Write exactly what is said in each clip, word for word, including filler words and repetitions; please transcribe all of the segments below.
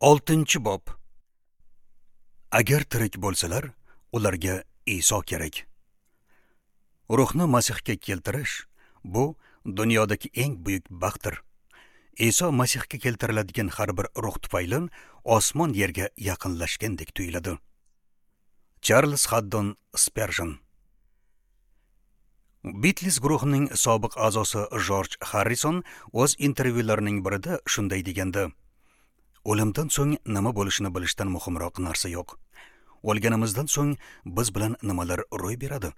Oltinchi bob. Agar tirik bo'lsalar, ularga Iso kerak. Ruhni Masihga keltirish bu dunyodagi eng buyuk baxtdir. Iso Masihga keltiriladigan har bir ruh tufayli osmon yerga yaqinlashgandek tuyuladi. Charles Haddon Sperjon. Beatles guruhining sobiq a'zosi George Harrison o'z intervyularining birida shunday degandi: "O'limdan so'ng nima bo'lishini bilishdan muhimroq narsa yo'q. O'lganimizdan so'ng biz bilan nimalar ro'y beradi?"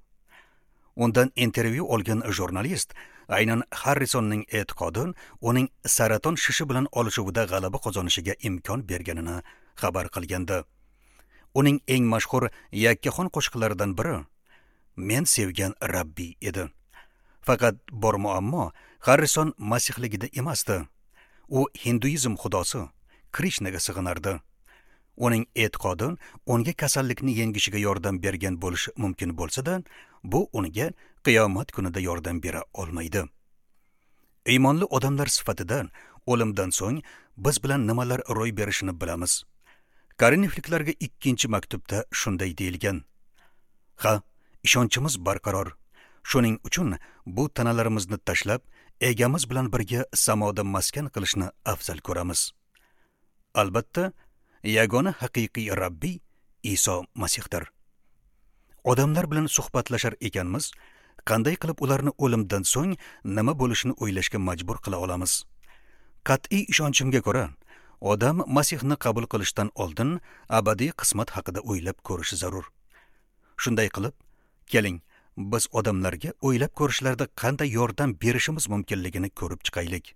Undan intervyu olgan jurnalist aynan Harrisonning e'tiqodi uning saraton shishi bilan olishuvida g'alaba qozonishiga imkon berganini xabar qilgandi. Uning eng mashhur yakkaxon qo'shiqlaridan biri "Men sevgan Rabbiy" edi. Faqat bor muammo Harrison masihligida emasdi. U hinduizm xudosi Krishnaga sig'inardi. Uning e'tiqodi unga kasallikni yengishiga yordam bergan bo'lishi mumkin bo'lsa-da, bu unga qiyomat kunida yordam bera olmaydi. Iymonli odamlar sifatida o'limdan so'ng biz bilan nimalar ro'y berishini bilamiz. Korinfliklarga ikkinchi maktubda shunday deyilgan: "Ha, ishonchimiz barqaror. Shuning uchun bu tanalarimizni tashlab, egamiz bilan birga samoda maskan qilishni afzal ko'ramiz." Albatta, yagona haqiqiy Rabbiy Iso Masihdir. Odamlar bilan suhbatlashar ekanmiz, qanday qilib ularni o'limdan so'ng nima bo'lishini o'ylashga majbur qila olamiz? Qat'iy ishonchimga ko'ra, odam Masihni qabul qilishdan oldin abadiy qismat haqida o'ylab ko'rishi zarur. Shunday qilib, keling, biz odamlarga o'ylab ko'rishlarda qanday yordam berishimiz mumkinligini ko'rib chiqaylik.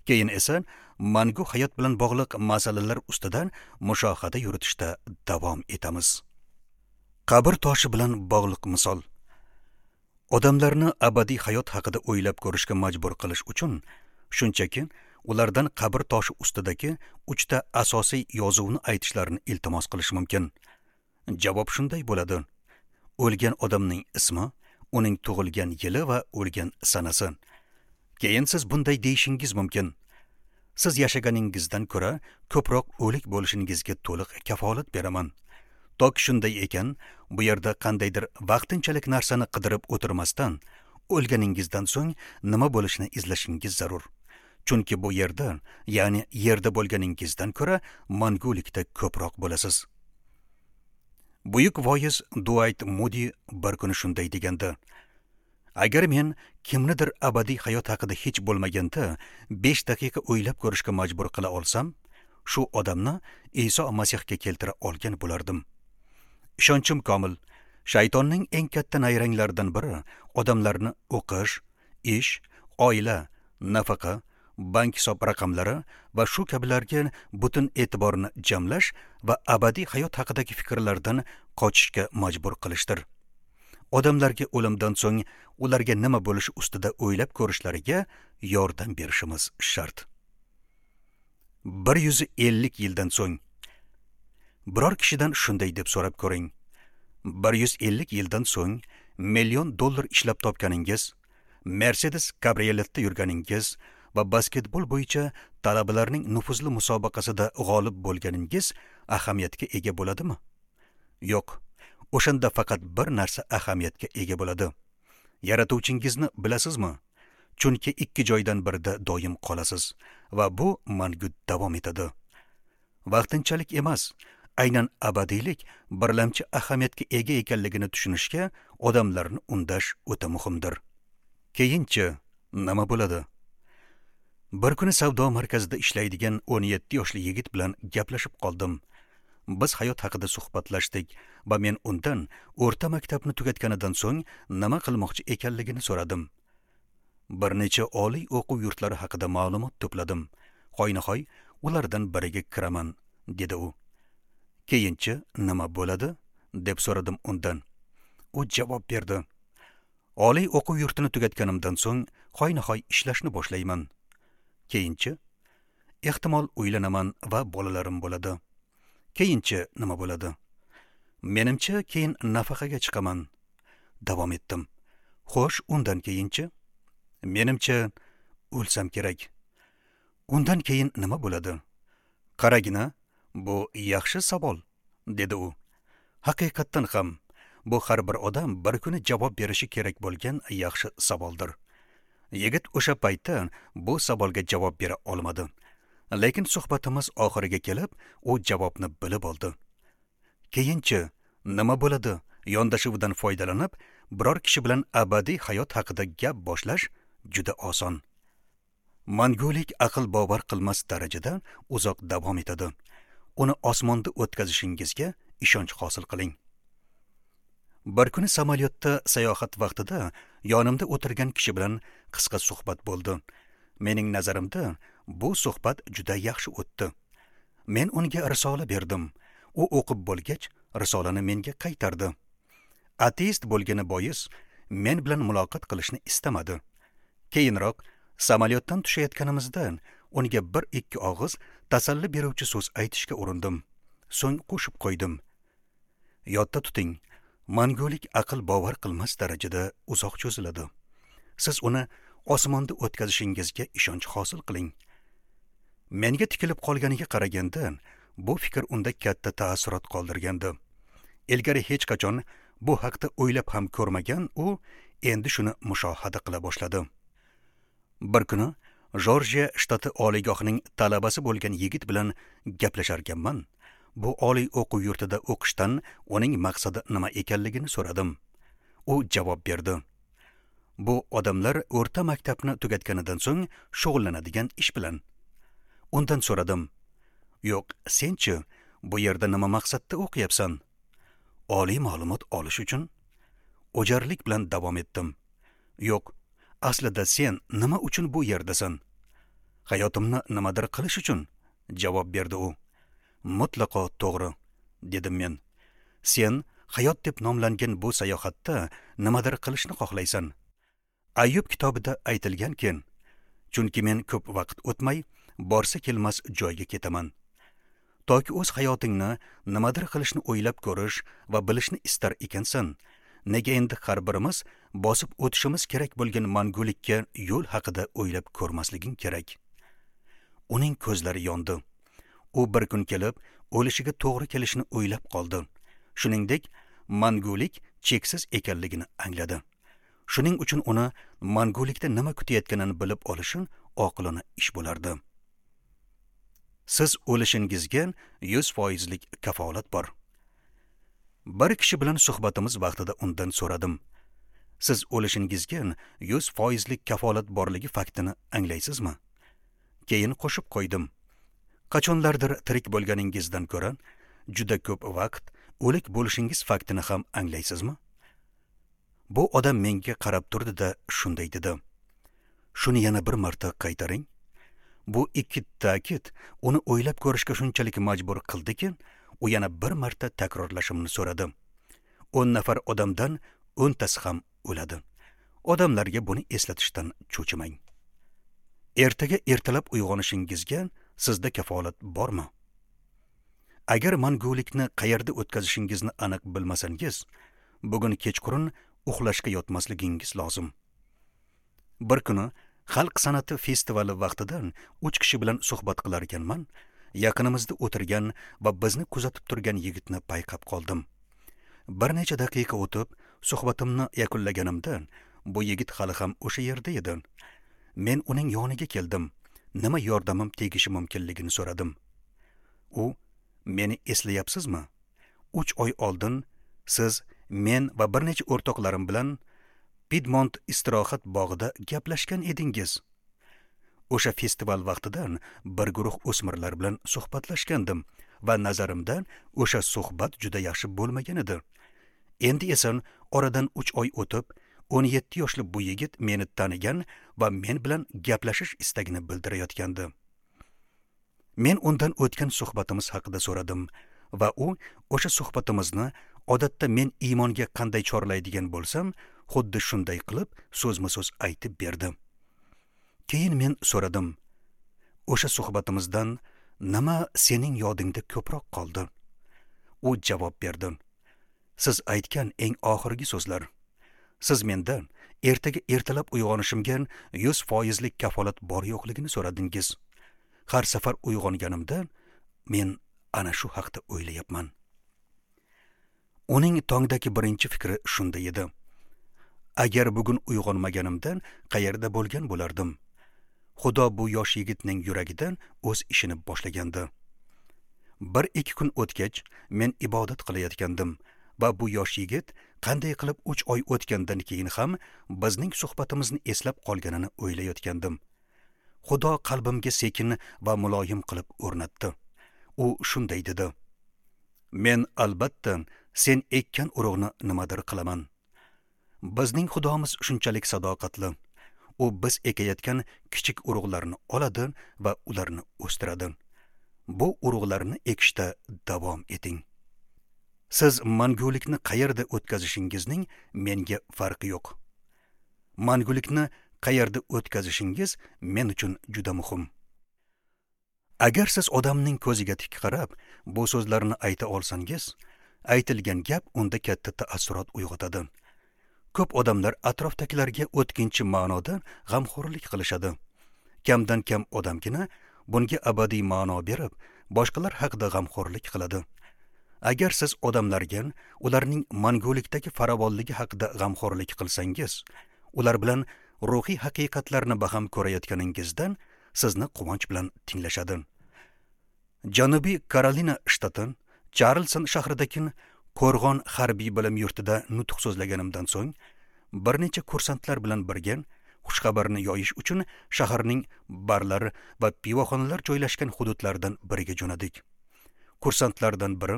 Keyin esa mangu hayot bilan bog'liq masalalar ustidan mushohada yuritishda davom etamiz. Qabr toshi bilan bog'liq misol. Odamlarni abadiy hayot haqida o'ylab ko'rishga majbur qilish uchun shunchaki ulardan qabr toshi ustidagi uchta asosiy yozuvni aytishlarini iltimos qilish mumkin. Javob shunday bo'ladi: o'lgan odamning ismi, uning tug'ilgan yili va o'lgan sanasi. Keyin siz bunday deyishingiz mumkin: siz yashaganingizdan ko'ra ko'proq o'lik bo'lishingizga to'liq kafolat beraman. Tok shunday ekan, bu yerda qandaydir vaqtinchalik narsani qidirib o'tirmasdan, o'lganingizdan so'ng nima bo'lishini izlashingiz zarur. Chunki bu yerda, ya'ni yerda bo'lganingizdan ko'ra mangulikda ko'proq bo'lasiz. Buyuk voiz Duayt Mudi bir kuni shunday degandi: "Agar men kimnidir abadiy hayot haqida hech bo'lmaganda besh daqiqa o'ylab ko'rishga majbur qila olsam, shu odamni Iso Masihga keltira olgan bo'lardim." Ishonchim komil, shaytonning eng katta nayranglaridan biri odamlarni o'qish, ish, oila, nafaqa, bank hisob raqamlari va shu kabilarga butun e'tiborni jamlash va abadiy hayot haqidagi fikrlardan qochishga majbur qilishdir. Odamlarga o'limdan so'ng ularga nima bo'lishi ustida o'ylab ko'rishlariga yordam berishimiz shart. bir yuz ellik yildan so'ng biror kishidan shunday deb so'rab ko'ring: bir yuz ellik yildan so'ng million dollar ishlab topganingiz, Mercedes kabrioletda yurganingiz va basketbol bo'yicha talabalarning nufuzli musobaqasida g'olib bo'lganingiz ahamiyatga ega bo'ladimi? Yo'q. O'shanda faqat bir narsa ahamiyatga ega bo'ladi. Yaratuvchingizni bilasizmi? Chunki ikki joydan birida doim qolasiz va bu mangu davom etadi. Vaqtinchalik emas, aynan abadiylik birlamchi ahamiyatga ega ekanligini tushunishga odamlarni undash o'ta muhimdir. Keyinchi nima bo'ladi? Bir kuni savdo markazida ishlaydigan o'n yetti yoshli yigit bilan gaplashib qoldim. Biz hayot haqida suhbatlashdik va men undan o'rta maktabni tugatganidan so'ng nima qilmoqchi ekanligini so'radim. Bir necha oliy o'quv yurtlari haqida ma'lumot to'pladim. Hoynahoy ulardan biriga kiraman, dedi u. Keyinchi nima bo'ladi? Deb so'radim undan. U javob berdi: oliy o'quv yurtini tugatganimdan so'ng hoynahoy ishlashni boshlayman. Keyinchi ehtimol uylanaman va bolalarim bo'ladi. Keyinchi nima bo'ladi? Menimcha keyin nafaqaga chiqaman. Davom etdim. Xo'sh, undan keyinchi? Menimcha o'lsam kerak. Undan keyin nima bo'ladi? Qaragina, Bu yaxshi savol, dedi u. Haqiqatdan ham bu har bir odam bir kuni javob berishi kerak bo'lgan yaxshi savoldir. Yigit o'sha paytda bu savolga javob bera olmadi. Lekin suhbatimiz oxiriga kelib, u javobni bilib oldi. Keyinchi nima bo'ladi yondashuvidan foydalanib, biror kishi bilan abadiy hayot haqida gap boshlash juda oson. Mangulik aql bovar qilmas darajada uzoq davom etadi. Uni osmonda o'tkazishingizga ishonch hosil qiling. Bir kuni samolyotda sayohat vaqtida yonimda o'tirgan kishi bilan qisqa suhbat bo'ldi. Mening nazarimda bu suhbat juda yaxshi o'tdi. Men unga risola berdim. U o'qib bo'lgach, risolani menga qaytardi. Ateist bo'lgani bois men bilan muloqot qilishni istamadi. Keyinroq samolyotdan tushayotganimizda unga bir ikki og'iz tasalli beruvchi so'z aytishga urindim. So'ng qo'shib qo'ydim. Yodda tuting, mangulik aql bovar qilmas darajada uzoq cho'ziladi. Siz uni osmonda o'tkazishingizga ishonch hosil qiling. Menga tikilib qolganiga qaraganda, bu fikr unda katta taassurot qoldirgandi. Ilgari hech qachon bu haqda o'ylab ham ko'rmagan u endi shuni mushohada qila boshladi. Bir kuni Jorjiya shtati oliygohining talabasi bo'lgan yigit bilan gaplasharkanman, bu oliy o'quv yurtida o'qishdan uning maqsadi nima ekanligini so'radim. U javob berdi. Bu odamlar o'rta maktabni tugatganidan so'ng shug'ullanadigan ish bilan. Undan so'radim. Yo'q, senchi bu yerda nima maqsadda o'qiyapsan? Oliy ma'lumot olish uchun. O'jarlik bilan davom etdim. Yo'q, aslida sen nima uchun bu yerdasan? Hayotimni nimadir qilish uchun, javob berdi u. Mutlaqo to'g'ri, dedim men. Sen hayot deb nomlangan bu sayohatda nimadir qilishni xohlaysan. Ayyub kitobida aytilganki, chunki men ko'p vaqt o'tmay borsa kelmas joyga ketaman. Toki o'z hayotingni nimadir qilishni o'ylab ko'rish va bilishni istar ekansan, nega endi har birimiz bosib o'tishimiz kerak bo'lgan mangulikka yo'l haqida o'ylab ko'rmasliging kerak? Uning ko'zlari yondi. U bir kun kelib, o'lishiga to'g'ri kelishini o'ylab qoldi. Shuningdek, mangulik cheksiz ekanligini angladi. Shuning uchun uni mangulikda nima kutayotganini bilib olishi oqilona ish bo'lardi. Siz o'lishingizga yuz foizlik kafolat bor. Bir kishi bilan suhbatimiz vaqtida undan so'radim. Siz o'lishingizga yuz foizlik kafolat borligi faktini anglaysizmi? Keyin qo'shib qo'ydim. Qachonlardir tirik bo'lganingizdan ko'ra juda ko'p vaqt o'lik bo'lishingiz faktini ham anglaysizmi? Bu odam menga qarab turdi-da shunday dedi. Shuni yana bir marta qaytaring. Bu ikki ta'kid uni o'ylab ko'rishga shunchalik majbur qildiki, u yana bir marta takrorlashimni so'radi. o'n nafar odamdan o'ntasi ham o'ladi. Odamlarga buni eslatishdan cho'chimang. Ertaga ertalab uyg'onishingizga sizda kafolat bormi? Agar mangulikni qayerda o'tkazishingizni aniq bilmasangiz, bugun kechqurun uxlashga yotmasligingiz lozim. Bir kuni xalq san'ati festivali vaqtida uch kishi bilan suhbat qilar ekanman, yaqinimizda o'tirgan va bizni kuzatib turgan yigitni payqab qoldim. Bir necha daqiqa o'tib, suhbatimni yakunlaganimda bu yigit hali ham o'sha yerda edi. Men uning yoniga keldim. Nima yordamim tegishi mumkinligini so'radim. U, meni eslayapsizmi? Uch oy oldin siz, men va bir necha o'rtoqlarim bilan Piedmont istirohat bog'ida gaplashgan edingiz. O'sha festival vaqtidan bir guruh o'smirlar bilan suhbatlashgandim va nazarimda o'sha suhbat juda yaxshi bo'lmagan edi. Endi esa oradan uch oy o'tib, o'n yetti yoshli bu yigit meni tanigan va men bilan gaplashish istagini bildirayotgandi. Men undan o'tgan suhbatimiz haqida so'radim va u o'sha suhbatimizni odatda men iymonga qanday chorlaydigan bo'lsam, xuddi shunday qilib so'zma-so'z aytib berdi. Keyin men so'radim: "O'sha suhbatimizdan nima sening yodingda ko'proq qoldi?" U javob berdi: "Siz aytgan eng oxirgi so'zlar. Siz mendan ertaga ertalab uyg'onishimga yuz foizlik kafolat bor yo'qligini so'radingiz. Har safar uyg'onganimda men ana shu haqda o'ylayapman. Uning tongdagi birinchi fikri shunda edi. Agar bugun uyg'onmaganimdan qayerda bo'lgan bo'lardim? Xudo bu yosh yigitning yuragidan o'z ishini boshlagandi. Bir ikki kun o'tgach, men ibodat qilayotgandim va bu yosh yigit qanday qilib uch oy o'tgandan keyin ham bizning suhbatimizni eslab qolganini o'ylayotgandim. Xudo qalbimga sekin va muloyim qilib o'rnatdi. U shunday dedi: Men albatta sen ekkan urug'ni nimadir qilaman. Bizning Xudomiz shunchalik sadoqatli. U biz ekayotgan kichik urug'larni oladi va ularni o'stiradi. Bu urug'larni ekishda davom eting. Siz mangulikni qayerda o'tkazishingizning menga farqi yo'q. Mangulikni qayerda o'tkazishingiz men uchun juda muhim. Agar siz odamning ko'ziga tik qarab bu so'zlarni ayta olsangiz, aytilgan gap unda katta taassurot uyg'otadi. Ko'p odamlar atrofdagilarga o'tkinchi ma'noda g'amxo'rlik qilishadi. Kamdan kam odamgina bunga abadiy ma'no berib, boshqalar haqida g'amxo'rlik qiladi. Agar siz odamlarga ularning mangulikdagi farovonligi haqida g'amxo'rlik qilsangiz, ular bilan ruhiy haqiqatlarni baham ko'rayotganingizdan sizni quvonch bilan tinglashadi. Janubiy Karolina shtati Charlston shahridagi Qo'rg'on harbiy bilim yurtida nutq so'zlaganimdan so'ng, bir necha kursantlar bilan birga xushxabarni yoyish uchun shaharning barlar va pivoxonalar joylashgan hududlardan biriga jo'nadik. Kursantlardan biri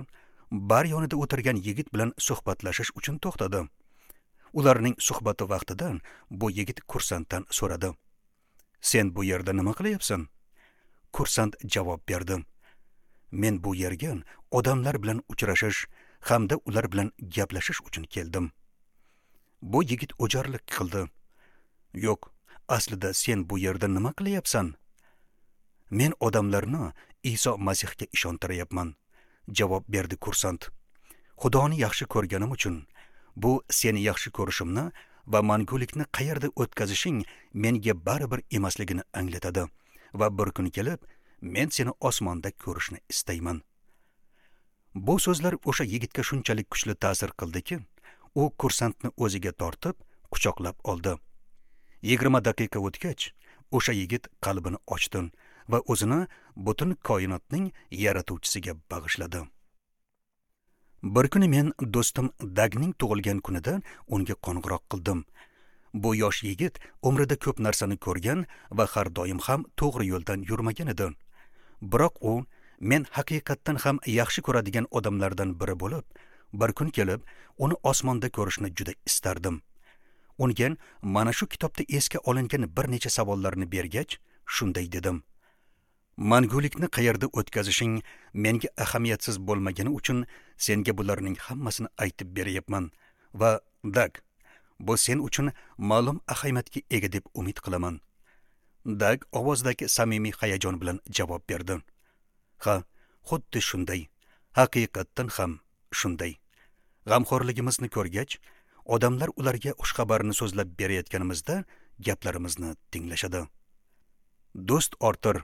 bar yonida o'tirgan yigit bilan suhbatlashish uchun to'xtadi. Ularning suhbati vaqtida bu yigit kursantdan so'radi: "Sen bu yerda nima qilyapsan?" Kursant javob berdi: "Men bu yerga odamlar bilan uchrashish hamda ular bilan gaplashish uchun keldim." Bu yigit o'jarlik qildi: "Yo'q, aslida sen bu yerda nima qilyapsan?" "Men odamlarni Iso Masihga ishontiryapman", javob berdi kursant. "Xudoni yaxshi ko'rganim uchun bu seni yaxshi ko'rishimni va mangulikni qayerda o'tkazishing menga baribir emasligini anglatadi va bir kun kelib men seni osmonda ko'rishni istayman." Bu so'zlar o'sha yigitga shunchalik kuchli ta'sir qildiki, u kursantni o'ziga tortib, quchoqlab oldi. Yigirma daqiqa o'tgach, o'sha yigit qalbini ochdi va o'zini butun koinotning yaratuvchisiga bag'ishladi. Bir kuni men do'stim Dagning tug'ilgan kunida unga qo'ng'iroq qildim. Bu yosh yigit umrida ko'p narsani ko'rgan va har doim ham to'g'ri yo'ldan yurmagan edi. Biroq u men haqiqatdan ham yaxshi ko'radigan odamlardan biri bo'lib, bir kun kelib uni osmonda ko'rishni juda istardim. Unga mana shu kitobda esga olingan bir necha savollarni bergach, shunday dedim: Mangulikni qayerda o'tkazishing menga ahamiyatsiz bo'lmagani uchun senga bularning hammasini aytib beryapman va Dag, bu sen uchun ma'lum ahamiyatga ega deb umid qilaman. Dag ovozidagi samimiy hayajon bilan javob berdi: Ha, xuddi shunday. Haqiqatdan ham shunday. G'amxo'rligimizni ko'rgach, odamlar ularga xushxabarni so'zlab berayotganimizda gaplarimizni tinglashadi. Do'st ortir,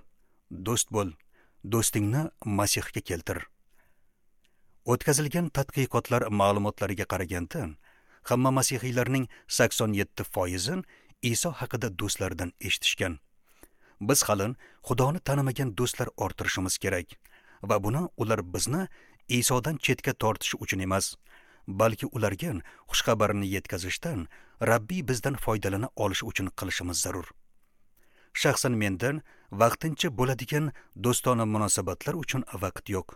do'st bo'l, do'stingni Masihga keltir. O'tkazilgan tadqiqotlar ma'lumotlariga qaraganda, hamma masihiylarning sakson yetti foizi Iso haqida do'stlaridan eshitishgan. Biz hali Xudoni tanimagan do'stlar orttirishimiz kerak va buni ular bizni Isodan chetga tortishi uchun emas, balki ularga xushxabarni yetkazishdan Rabbiy bizdan foydalana olishi uchun qilishimiz zarur. Shaxsan mendan vaqtincha bo'ladigan do'stona munosabatlar uchun vaqt yo'q.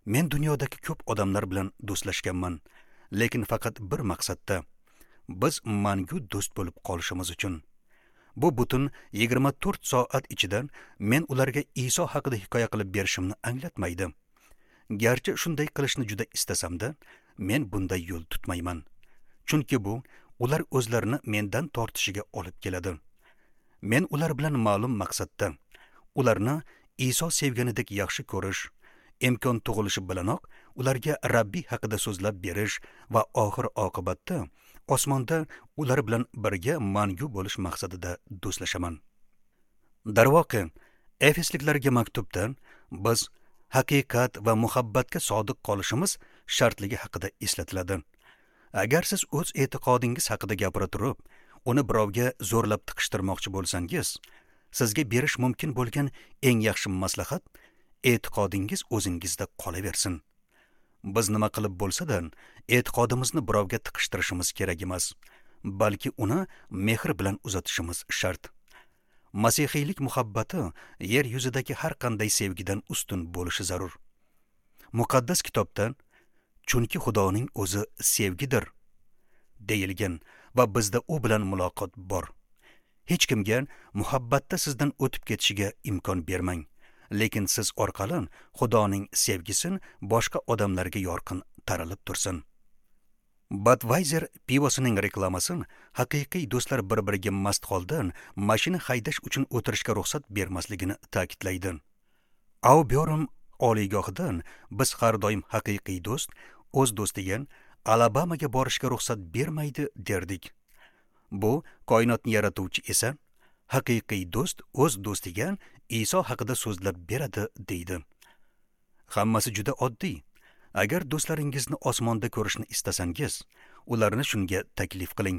Men dunyodagi ko'p odamlar bilan do'stlashganman, lekin faqat bir maqsadda: biz mangu do'st bo'lib qolishimiz uchun. Bu butun yigirma to'rt soat ichida men ularga Iso haqida hikoya qilib berishimni anglatmaydi. Garchi shunday qilishni juda istasamda, men bunday yo'l tutmayman. Chunki bu ular o'zlarini mendan tortishiga olib keladi. Men ular bilan ma'lum maqsadda ularni Iso sevganidek yaxshi ko'rish, imkon tug'ilishi bilanoq ularga Rabbiy haqida so'zlab berish va oxir oqibatda osmonda ular bilan birga mangu bo'lish maqsadida do'stlashaman. Darvoqe, Efesliklarga maktubda biz haqiqat va muhabbatga sodiq qolishimiz shartligi haqida eslatiladi. Agar siz o'z e'tiqodingiz haqida gapira turib, uni birovga zo'rlab tiqishtirmoqchi bo'lsangiz, sizga berish mumkin bo'lgan eng yaxshi maslahat e'tiqodingiz o'zingizda qolaversin. Biz nima qilib bo'lsa-da, e'tiqodimizni birovga tiqishtirishimiz kerak emas, balki uni mehr bilan uzatishimiz shart. Masihiylik muhabbati yer yuzidagi har qanday sevgidan ustun bo'lishi zarur. Muqaddas kitobda chunki Xudoning o'zi sevgidir deyilgan va bizda u bilan muloqot bor. Hech kimga muhabbatda sizdan o'tib ketishiga imkon bermang, lekin siz orqali Xudoning sevgisi boshqa odamlarga yorqin taralib tursin. Budweiser pivosining reklamasi haqiqiy do'stlar bir-biriga mast holda mashina haydash uchun o'tirishga ruxsat bermasligini ta'kidlaydi. Auburn oliygohidan biz har doim haqiqiy do'st o'z do'stiga Alabamaga borishga ruxsat bermaydi derdik. Bu koinotni yaratuvchi esa haqiqiy do'st o'z do'stiga Iso haqida so'zlab beradi deydi. Hammasi juda oddiy. Agar do'stlaringizni osmonda ko'rishni istasangiz, ularni shunga taklif qiling.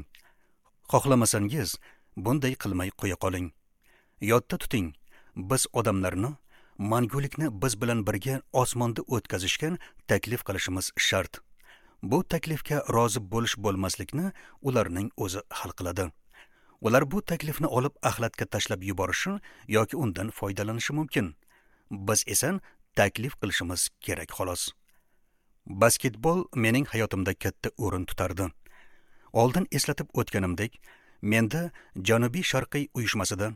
Xohlamasangiz, bunday qilmay qo'ya qoling. Yodda tuting, biz odamlarni mangulikni biz bilan birga osmonda o'tkazishga taklif qilishimiz shart. Bu taklifga rozi bo'lish bo'lmaslikni ularning o'zi hal qiladi. Ular bu taklifni olib axlatga tashlab yuborishi yoki undan foydalanishi mumkin. Biz esa taklif qilishimiz kerak xolos. Basketbol mening hayotimda katta o'rin tutardi. Oldin eslatib o'tganimdek, menda Janubiy Sharqiy uyushmasida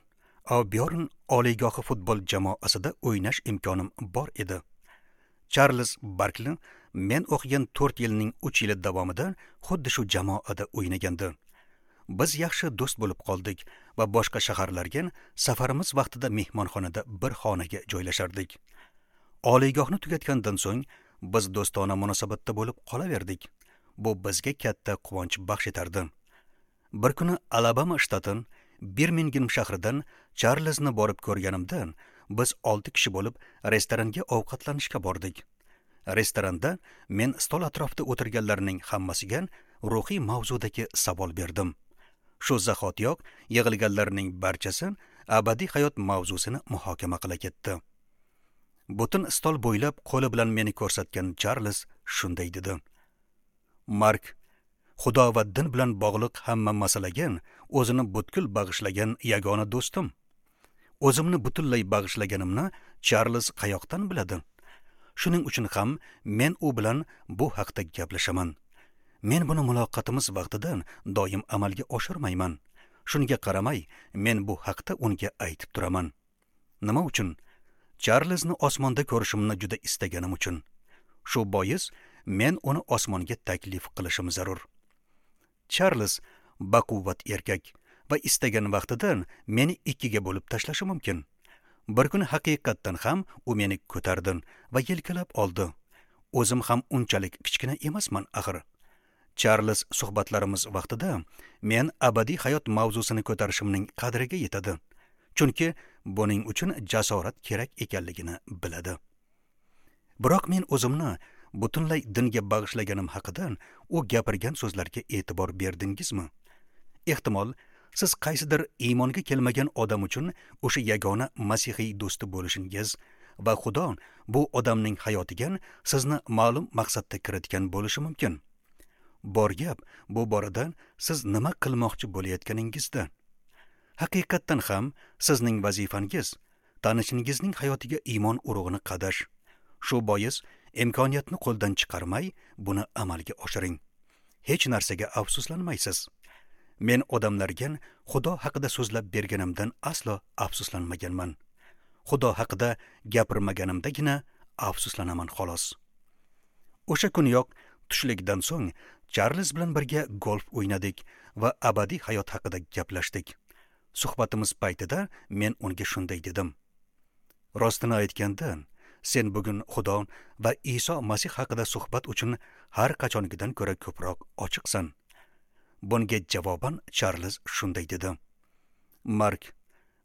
Auburn oliygohi futbol jamoasida o'ynash imkonim bor edi. Charles Barkley men o'qigan to'rt yilning uch yili davomida xuddi shu jamoada o'ynagandi. Biz yaxshi do'st bo'lib qoldik va boshqa shaharlarga safarimiz vaqtida mehmonxonada bir xonaga joylashardik. Oliygohni tugatgandan so'ng biz do'stona munosabatda bo'lib qolaverdik. Bu bizga katta quvonch baxsh etardi. Bir kuni Alabama shtati Birmingham shahridan Charlesni borib ko'rganimda, biz olti kishi bo'lib restoranga ovqatlanishga bordik. Restoranda men stol atrofida o'tirganlarning hammasiga ruhiy mavzudagi savol berdim. Shu zahotiyoq yig'ilganlarning barchasi abadiy hayot mavzusini muhokama qila ketdi. Butun stol bo'ylab qo'li bilan meni ko'rsatgan Charles shunday dedi: Mark, Xudo va din bilan bog'liq hamma masalaga o'zini butkul bag'ishlagan yagona do'stim. O'zimni butunlay bag'ishlaganimni Charles qayoqdan biladi? Shuning uchun ham men u bilan bu haqda gaplashaman. Men buni muloqotimiz vaqtida doim amalga oshirmayman. Shunga qaramay, men bu haqda unga aytib turaman. Nima uchun? Charlesni osmonda ko'rishimni juda istaganim uchun. Shu bois men uni osmonga taklif qilishim zarur. Charles baquvvat erkak va istagan vaqtida meni ikkiga bo'lib tashlashi mumkin. Bir kuni haqiqatdan ham u meni ko'tardi va yelkalab oldi. O'zim ham unchalik kichkina emasman axir. Charles suhbatlarimiz vaqtida men abadiy hayot mavzusini ko'tarishimning qadriga yetadi. Chunki buning uchun jasorat kerak ekanligini biladi. Biroq men o'zimni butunlay dinga bag'ishlaganim haqida u gapirgan so'zlarga e'tibor berdingizmi? Ehtimol, siz qaysidir iymonga kelmagan odam uchun o'sha yagona masihiy do'sti bo'lishingiz va Xudo bu odamning hayotiga sizni ma'lum maqsadda kiritgan bo'lishi mumkin. Bor gap bu borada siz nima qilmoqchi bo'layotganingizda. Haqiqatdan ham sizning vazifangiz tanishingizning hayotiga iymon urug'ini qadash. Shu bois imkoniyatni qo'ldan chiqarmay buni amalga oshiring. Hech narsaga afsuslanmaysiz. Men odamlarga Xudo haqida so'zlab berganimdan aslo afsuslanmaganman. Xudo haqida gapirmaganimdagina afsuslanaman xolos. O'sha kuniyoq tushlikdan so'ng Charles bilan birga golf o'ynadik va abadiy hayot haqida gaplashdik. Suhbatimiz paytida men unga shunday dedim: Rostini aytganda, sen bugun Xudo va Iso Masih haqida suhbat uchun har qachongidan ko'ra ko'proq ochiqsan. Bunga javoban Charles shunday dedi: Mark,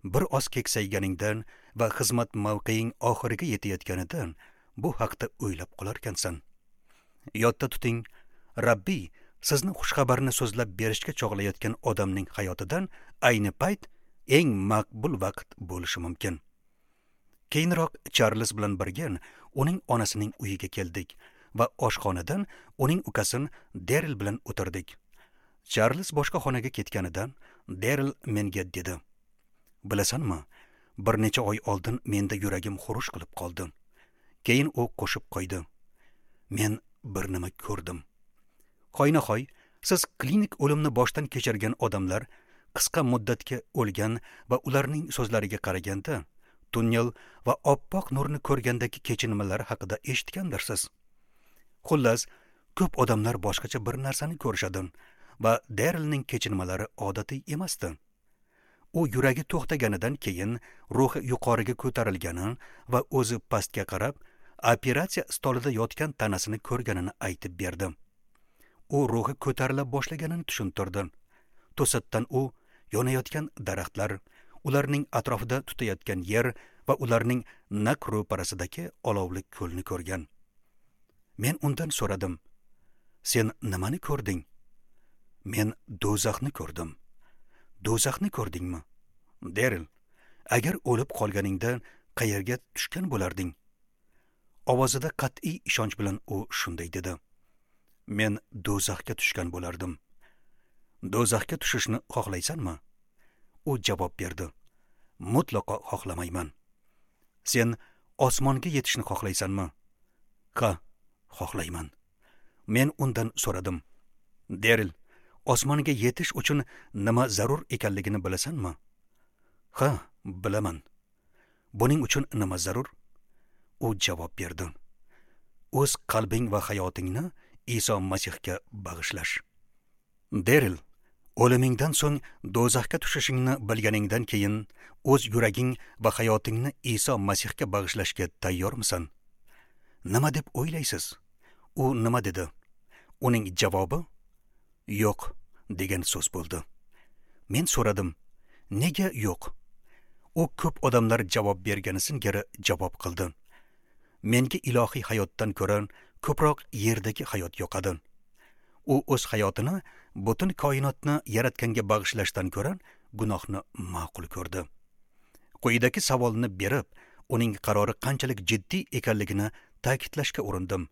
bir oz keksayganingdan va xizmat mavqeing oxiriga yetayotganidan bu haqda o'ylab qolarkansan. Yodda tuting, Rabbiy sizni xushxabarni so'zlab berishga chog'layotgan odamning hayotidan ayni payt eng maqbul vaqt bo'lishi mumkin. Keyinroq Charles bilan birga uning onasining uyiga keldik va oshxonadan uning ukasini Deril bilan o'tirdik. Charles boshqa xonaga ketganidan Deril menga dedi: "Bilasanmi, bir necha oy oldin menda yuragim xurush qilib qoldi." Keyin u qo'shib qo'ydi: "Men bir nima ko'rdim." Hoynahoy, siz klinik o'limni boshdan kechirgan odamlar qisqa muddatga o'lgan va ularning so'zlariga qaraganda tunnel va oppoq nurni ko'rgandagi kechinmalari haqida eshitgandirsiz. Xullas, ko'p odamlar boshqacha bir narsani ko'rishadi va Derilning kechinmalari odatiy emasdi. U yuragi to'xtaganidan keyin ruhi yuqoriga ko'tarilgani va o'zi pastga qarab operatsiya stolida yotgan tanasini ko'rganini aytib berdi. U ruhi ko'tarila boshlaganini tushuntirdi. To'satdan u yonayotgan daraxtlar, ularning atrofida tutayotgan yer va ularning naq ro'parasidagi olovli ko'lni ko'rgan. Men undan so'radim: "Sen nimani ko'rding?" "Men do'zaxni ko'rdim." "Do'zaxni ko'rdingmi?" "Deril, agar o'lib qolganingda qayerga tushgan bo'larding?" Ovozida qat'iy ishonch bilan u shunday dedi: "Men do'zaxga tushgan bo'lardim." "Do'zaxga tushishni xohlaysanmi?" U javob berdi: "Mutlaqo xohlamayman." "Sen osmonga yetishni xohlaysanmi?" "Ha, xohlayman." Men undan so'radim: "Deril, osmonga yetish uchun nima zarur ekanligini bilasanmi?" "Ha, bilaman." "Buning uchun nima zarur?" U javob berdi: "O'z qalbing va hayotingni Iso Masihga bag'ishlash." Deril, o'limingdan so'ng do'zaxga tushishingni bilganingdan keyin o'z yuraging va hayotingni Iso Masihga bag'ishlashga tayyormisan? Nima deb o'ylaysiz? U nima dedi? Uning javobi yo'q degan so'z bo'ldi. Men so'radim: "Nega yo'q?" U ko'p odamlar javob bergani singari javob qildi: "Menga ilohiy hayotdan ko'ra ko'proq yerdagi hayot yoqadi." U o'z hayotini butun koinotni yaratganga bag'ishlashdan ko'ra gunohni ma'qul ko'rdi. Quyidagi savolni berib, uning qarori qanchalik jiddiy ekanligini ta'kidlashga urindim.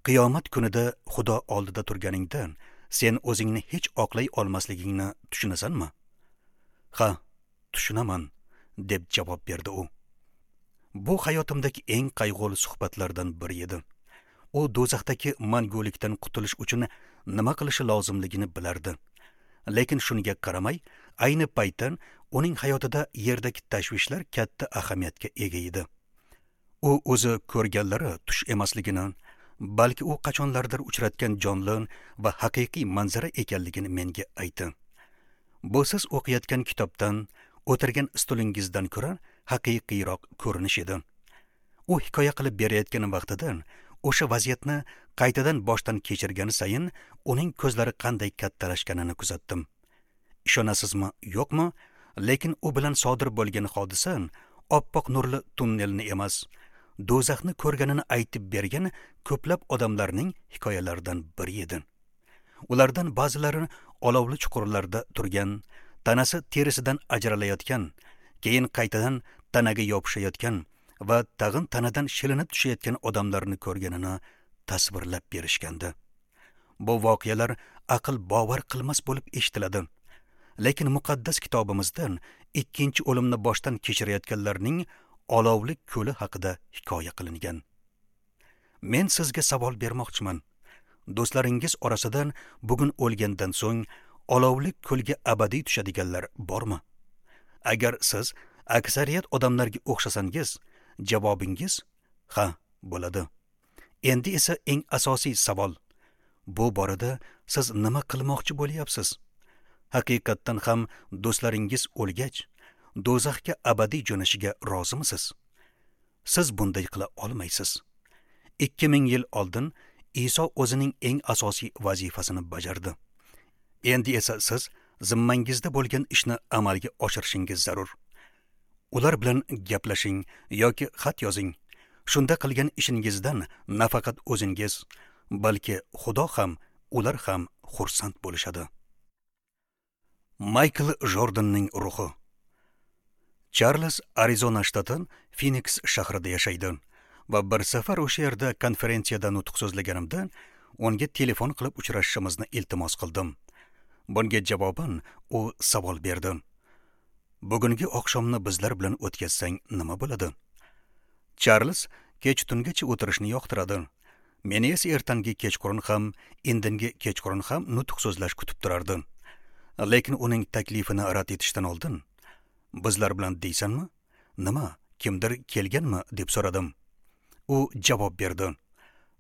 Qiyomat kunida Xudo oldida turganingda sen o'zingni hech oqlay olmasligingni tushunasanmi? "Ha, tushunaman", deb javob berdi u. Bu hayotimdagi eng qayg'uli suhbatlardan biri edi. U do'zaxdagi mangulikdan qutulish uchun nima qilishi lozimligini bilardi. Lekin shunga qaramay, ayni paytda uning hayotida yerdagi tashvishlar katta ahamiyatga ega edi. U o'zi ko'rganlari tush emasligini, balki u qachonlardir uchratgan jonli va haqiqiy manzara ekanligini menga aytdi. Bu siz o'qiyotgan kitobdan, o'tirgan stulingizdan ko'ra haqiqiyroq ko'rinish edi. U hikoya qilib berayotgan vaqtida o'sha vaziyatni qaytadan boshdan kechirgani sayin uning ko'zlari qanday kattalashganini kuzatdim. Ishonasizmi, yo'qmi, lekin u bilan sodir bo'lgan hodisa oppoq nurli tunnelni emas, do'zaxni ko'rganini aytib bergan ko'plab odamlarning hikoyalaridan biri edi. Ulardan ba'zilari olovli chuqurlarda turgan, tanasi terisidan ajralayotgan, keyin qaytadan tanaga yopishayotgan va tag'in tanadan shilinib tushayotgan odamlarni ko'rganini tasvirlab berishgandi. Bu voqealar aql bovar qilmas bo'lib eshitiladi. Lekin muqaddas kitobimizdan ikkinchi o'limni boshdan kechirayotganlarning olovli ko'li haqida hikoya qilingan. Men sizga savol bermoqchiman. Do'stlaringiz orasidan bugun o'lgandan so'ng olovli ko'lga abadiy tushadiganlar bormi? Agar siz aksariyat odamlarga o'xshasangiz, javobingiz ha bo'ladi. Endi esa eng asosiy savol: bu borada siz nima qilmoqchi bo'lyapsiz? Haqiqatdan ham do'stlaringiz o'lgach, do'zaxga abadiy jo'nashiga rozimisiz? Siz bunday qila olmaysiz. ikki ming yil oldin Iso o'zining eng asosiy vazifasini bajardi. Endi esa siz zimmangizda bo'lgan ishni amalga oshirishingiz zarur. Ular bilan gaplashing yoki xat yozing. Shunda qilgan ishingizdan nafaqat o'zingiz, balki Xudo ham, ular ham xursand bo'lishadi. Maykl Jordanning ruhi. Charles Arizona shtati Phoenix shahrida yashaydi va bir safar o'sha yerda konferensiyada nutq so'zlaganimda unga telefon qilib uchrashishimizni iltimos qildim. Bunga javoban u savol berdi. Bugungi oqshomni bizlar bilan o'tkazsang nima bo'ladi? Charles kech tungacha o'tirishni yoqtiradi. Meni esa ertangi kechqurun ham, indingi kechqurun ham nutq so'zlash kutib turardi. Lekin uning taklifini rad etishdan oldin, bizlar bilan deysanmi? Nima, kimdir kelganmi deb so'radim. U javob berdi.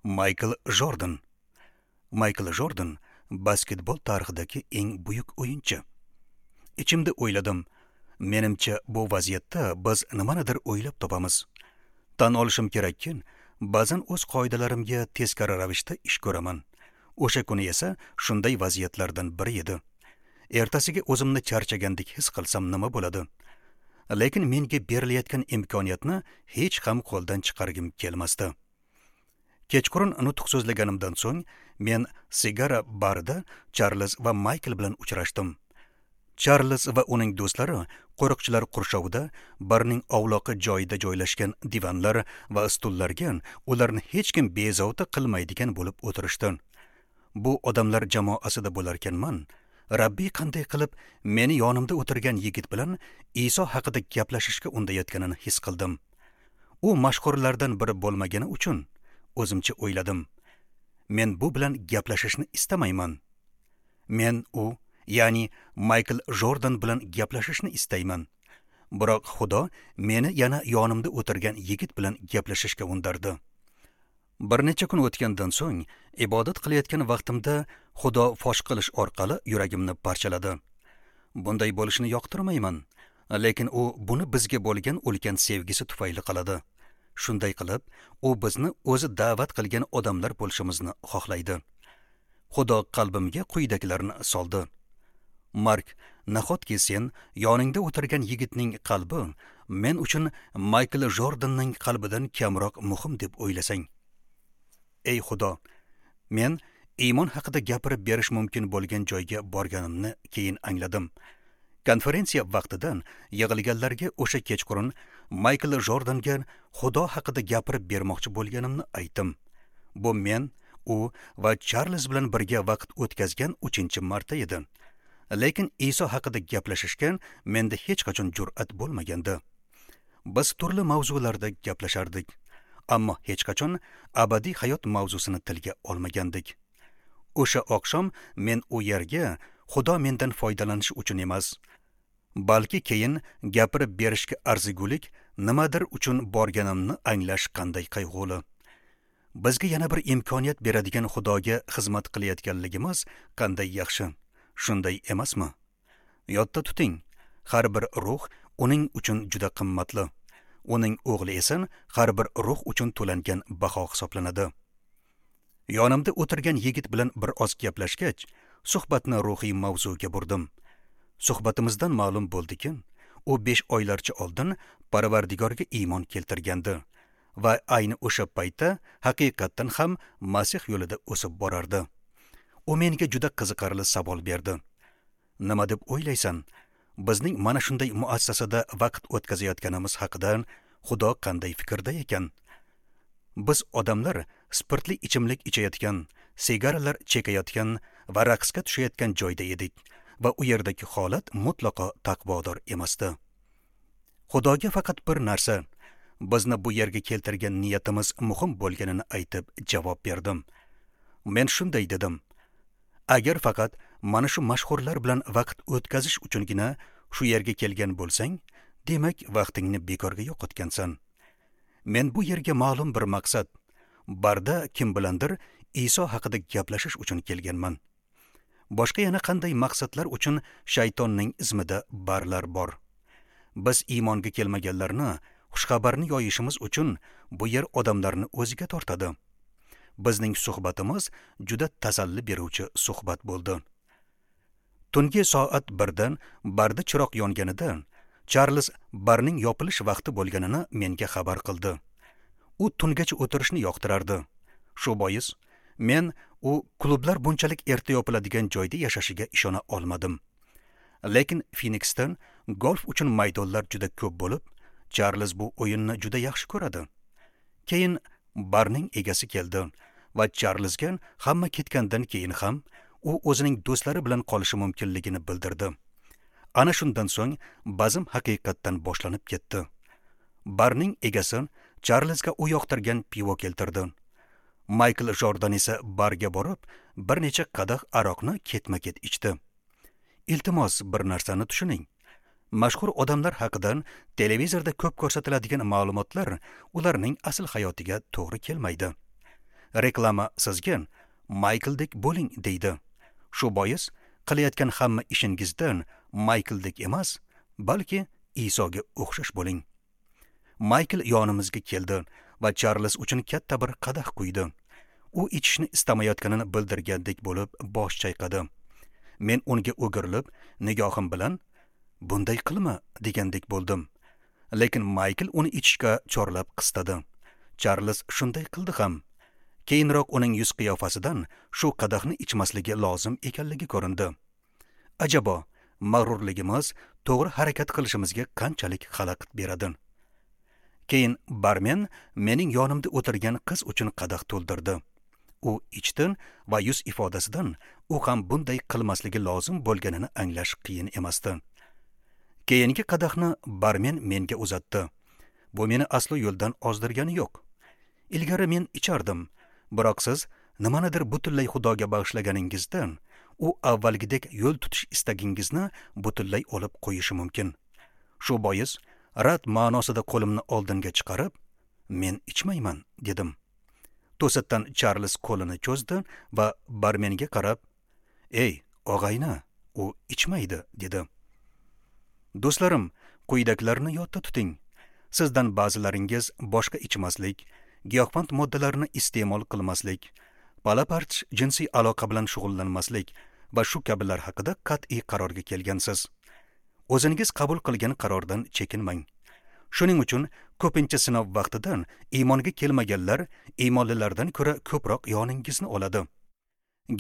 Maykl Jordan. Maykl Jordan basketbol tarixidagi eng buyuk o'yinchi. Ichimda o'yladim, menimcha bu vaziyatda biz nimanidir o'ylab topamiz. Tan olishim kerakki, ba'zan o'z qoidalarimga teskari ravishda ish ko'raman. O'sha kuni esa shunday vaziyatlardan biri edi. Ertasiga o'zimni charchagandek his qilsam nima bo'ladi? Lekin menga berilayotgan imkoniyatni hech ham qo'ldan chiqargim kelmasdi. Kechqurun nutq so'zlaganimdan so'ng men sigara barida Charles va Maykl bilan uchrashdim. Charles va uning do'stlari qo'riqchilar qurshovida barning ovloqi joyida joylashgan divanlar va stullarga ularni hech kim bezovta qilmaydigan bo'lib o'tirishdi. Bu odamlar jamoasida bo'larkanman, Rabbiy qanday qilib meni yonimda o'tirgan yigit bilan Iso haqida gaplashishga undayotganini his qildim. U mashhurlardan biri bo'lmagani uchun o'zimcha o'yladim. Men bu bilan gaplashishni istamayman. Men u, ya'ni Maykl Jordan bilan gaplashishni istayman. Biroq Xudo meni yana yonimda o'tirgan yigit bilan gaplashishga undardi. Bir necha kun o'tgandan so'ng ibodat qilayotgan vaqtimda Xudo fosh qilish orqali yuragimni parchaladi. Bunday bo'lishini yoqtirmayman, lekin u buni bizga bo'lgan ulkan sevgisi tufayli qiladi. Shunday qilib, u bizni o'zi da'vat qilgan odamlar bo'lishimizni xohlaydi. Xudo qalbimga quyidagilarni soldi. Mark, nahotki sen yoningda o'tirgan yigitning qalbi men uchun Maykl Jordanning qalbidan kamroq muhim deb o'ylasang? Ey Xudo, men iymon haqida gapirib berish mumkin bo'lgan joyga borganimni keyin angladim. Konferensiya vaqtidan yig'ilganlarga o'sha kechqurun Maykl Jordanga Xudo haqida gapirib bermoqchi bo'lganimni aytdim. Bu men, u va Charles bilan birga vaqt o'tkazgan uchinchi marta edi. Lekin Iso haqida gaplashishga menda hech qachon jur'at bo'lmagandi. Biz turli mavzularda gaplashardik, ammo hech qachon abadiy hayot mavzusini tilga olmagandik. O'sha oqshom men u yerga Xudo mendan foydalanish uchun emas, balki keyin gapirib berishga arzigulik nimadir uchun borganimni anglash qanday qayg'uli. Bizga yana bir imkoniyat beradigan Xudoga xizmat qilayotganligimiz qanday yaxshi, shunday emasmi? Yodda tuting, har bir ruh uning uchun juda qimmatli. Uning o'g'li esa har bir ruh uchun to'langan baho hisoblanadi. Yonimda o'tirgan yigit bilan bir oz gaplashgach, suhbatni ruhiy mavzuga burdim. Suhbatimizdan ma'lum bo'ldiki, u besh oylarcha oldin Parvardigorga iymon keltirgandi va ayni o'sha paytda haqiqatdan ham Masih yo'lida o'sib borardi. U menga juda qiziqarli savol berdi. Nima deb o'ylaysan? Bizning mana shunday muassasada vaqt o'tkazayotganimiz haqida Xudo qanday fikrda ekan? Biz odamlar spirtli ichimlik ichayotgan, sigaralar chekayotgan va raqsga tushayotgan joyda edik va u yerdagi holat mutlaqo taqvodor emasdi. Xudoga faqat bir narsa, bizni bu yerga keltirgan niyatimiz muhim bo'lganini aytib javob berdim. Men shunday dedim: agar faqat mana shu mashhurlar bilan vaqt o'tkazish uchungina shu yerga kelgan bo'lsang, demak vaqtingni bekorga yo'qotgansan. Men bu yerga ma'lum bir maqsad, barda kim bilandir Iso haqida gaplashish uchun kelganman. Boshqa yana qanday maqsadlar uchun shaytonning izmida barlar bor. Biz iymonga kelmaganlarni xushxabarni yoyishimiz uchun bu yer odamlarni o'ziga tortadi. Bizning suhbatimiz juda tasalli beruvchi suhbat bo'ldi. Tungi soat birdan barda chiroq yonganida Charles barning yopilish vaqti bo'lganini menga xabar qildi. U tungacha o'tirishni yoqtirardi. Shu bois men u klublar bunchalik erta yopiladigan joyda yashashiga ishona olmadim. Lekin Phoenixdan golf uchun maydonlar juda ko'p bo'lib, Charlz bu o'yinni juda yaxshi ko'radi. Keyin barning egasi keldi va Charlzga hamma ketgandan keyin ham u o'zining do'stlari bilan qolishi mumkinligini bildirdi. Ana shundan so'ng bazm haqiqatdan boshlanib ketdi. Barning egasi Charlzga u yoqtirgan pivo keltirdi. Maykl Jordan esa barga borib, bir necha qadah aroqni ketma-ket ichdi. Iltimos, bir narsani tushuning. Mashhur odamlar haqidan televizorda ko'p ko'rsatiladigan ma'lumotlar ularning asl hayotiga to'g'ri kelmaydi. Reklama sizga Maykldek bo'ling deydi. Shu bois qilayotgan hamma ishingizdan Maykldek emas, balki Isoga o'xshash bo'ling. Maykl yonimizga keldi va Charlz uchun katta bir qadah quydi. U ichishni istamayotganini bildirgandek bo'lib bosh chayqadi. Men unga o'girilib, nigohim bilan bunday qilma degandek bo'ldim. Lekin Maykl uni ichishga chorlab qistadi. Charlz shunday qildi ham. Keyinroq uning yuz qiyofasidan shu qadahni ichmasligi lozim ekanligi ko'rindi. Ajabo, mag'rurligimiz to'g'ri harakat qilishimizga qanchalik xalaqit beradi. Keyin barmen mening yonimda o'tirgan qiz uchun qadah to'ldirdi. U ichdi va yuz ifodasidan u ham bunday qilmasligi lozim bo'lganini anglash qiyin emasdi. Keyingi qadahni barmen menga uzatdi. Bu meni aslo yo'ldan ozdirgani yo'q. Ilgari men ichardim, biroq siz nimanidir butunlay Xudoga bag'ishlaganingizdan u avvalgidek yo'l tutish istagingizni butunlay olib qo'yishi mumkin. Shu bois rad ma'nosida qo'limni oldinga chiqarib, men ichmayman dedim. To'satdan Charlz qo'lini cho'zdi va barmenga qarab, "Ey, og'ayni, u ichmaydi" dedi. Do'stlarim, quyidagilarni yodda tuting. Sizdan ba'zilaringiz boshqa ichmaslik, giyohvand moddalarni iste'mol qilmaslik, pala-parch jinsiy aloqa bilan shug'ullanmaslik va shu kabilar haqida qat'iy qarorga kelgansiz. O'zingiz qabul qilgan qarordan chekinmang. Shuning uchun ko'pincha sinov vaqtidan iymonga kelmaganlar iymonlilardan ko'ra ko'proq yoningizni oladi.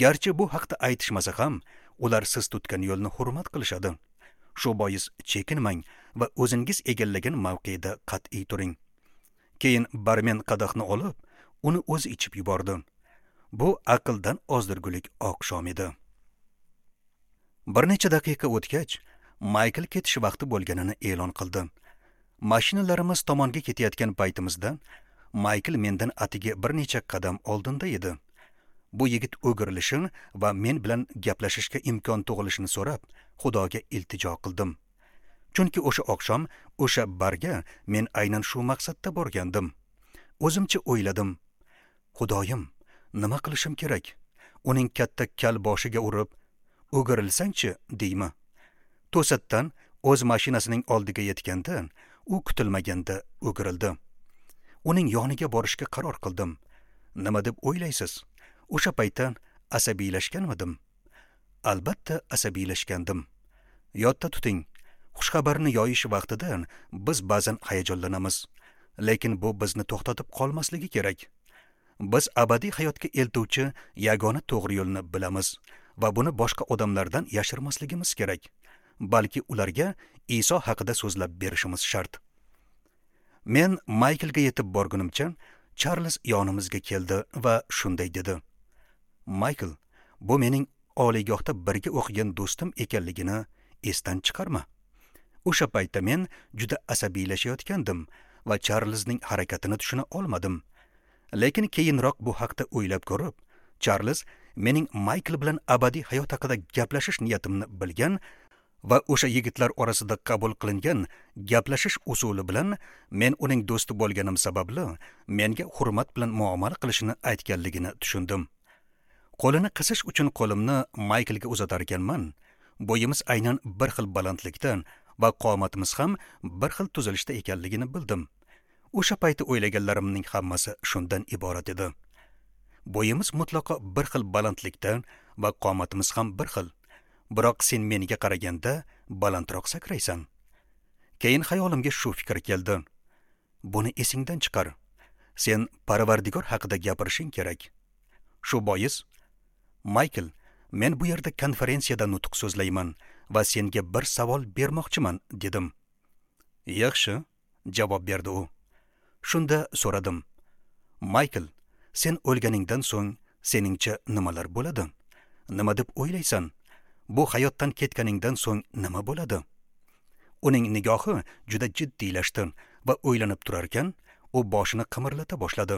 Garchi bu haqda aytishmasa ham, ular siz tutgan yo'lni hurmat qilishadi. Shu bois chekinmang va o'zingiz egallagan mavqeda qat'iy turing. Keyin barmen qadahni olib, uni o'zi ichib yubordi. Bu aqldan ozdirgulik oqshom edi. Bir necha daqiqa o'tgach, Maykl ketish vaqti bo'lganini e'lon qildi. Mashinalarimiz tomonga ketayotgan paytimizda Maykl mendan atigi bir necha qadam oldinda edi. Bu yigit o'girilishini va men bilan gaplashishga imkon tug'ilishini so'rab, Xudoga iltijo qildim. Chunki o'sha oqshom o'sha barga men aynan shu maqsadda borgandim. O'zimcha o'yladim: Xudoyim, nima qilishim kerak? Uning katta kal boshiga urib, o'girilsangchi, deymi? To'satdan o'z mashinasining oldiga yetganda, u kutilmaganda o'girildi. Uning yoniga borishga qaror qildim. Nima deb o'ylaysiz? O'sha paytda asabiylashganmidim? Albatta asabiylashgandim. Yodda tuting, xushxabarni yoyish vaqtida biz ba'zan hayajonlanamiz, lekin bu bizni to'xtatib qolmasligi kerak. Biz abadiy hayotga eltuvchi yagona to'g'ri yo'lni bilamiz va buni boshqa odamlardan yashirmasligimiz kerak, balki ularga Iso haqida so'zlab berishimiz shart. Men Mayklga yetib borgunimcha, Charlz yonimizga keldi va shunday dedi: Maykl, bu mening oliygohda birga o'qigan do'stim ekanligini esdan chiqarma. O'sha paytda men juda asabiylashayotgandim va Charlzning harakatini tushuna olmadim. Lekin keyinroq bu haqda o'ylab ko'rib, Charlz mening Maykl bilan abadiy hayot haqida gaplashish niyatimni bilgan va o'sha yigitlar orasida qabul qilingan gaplashish usuli bilan men uning do'sti bo'lganim sababli menga hurmat bilan muomala qilishini aytganligini tushundim. Qo'lini qisish uchun qo'limni Mayklga uzatar ekanman, bo'yimiz aynan bir xil balandlikda va qomatimiz ham bir xil tuzilishda ekanligini bildim. O'sha payti o'ylaganlarimning hammasi shundan iborat edi. Bo'yimiz mutlaqo bir xil balandlikda va qomatimiz ham bir xil. Biroq sen menga qaraganda balandroq sakraysan. Keyin xayolimga shu fikr keldi. Buni esingdan chiqar. Sen Parvardigor haqida gapirishing kerak. Shu bois, Maykl, men bu yerda konferensiyada nutq so'zlayman va senga bir savol bermoqchiman, dedim. Yaxshi, javob berdi u. Shunda so'radim. Maykl, sen o'lganingdan so'ng seningcha nimalar bo'ladi? Nima deb o'ylaysan? Bu hayotdan ketganingdan so'ng nima bo'ladi? Uning nigohi juda jiddiylashdi va o'ylanib turarkan, u boshini qimirlata boshladi.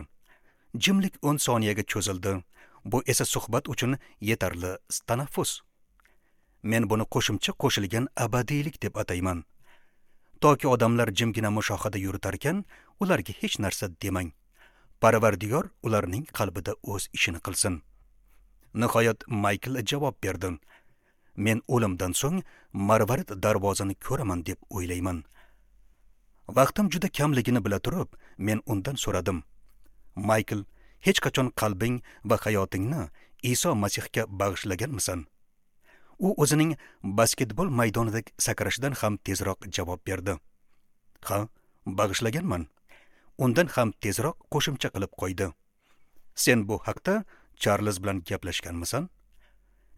Jimlik o'n soniyaga cho'zildi. Bu esa suhbat uchun yetarli tanaffus. Men buni qo'shimcha qo'shilgan abadiylik deb atayman. Toki odamlar jimgina mushohada yuritarkan, ularga hech narsa demang. Parvardigor ularning qalbida o'z ishini qilsin. Nihoyat Maykl javob berdi. Men o'limdan so'ng marvarid darvozani ko'raman deb o'ylayman. Vaqtim juda kamligini bila turib, men undan so'radim. Maykl, hech qachon qalbing va hayotingni Iso Masihga bag'ishlaganmisan? U o'zining basketbol maydonidagi sakrashidan ham tezroq javob berdi. Ha, bag'ishlaganman. Undan ham tezroq qo'shimcha qilib qo'ydi. Sen bu haqda Charlz bilan gaplashganmisan?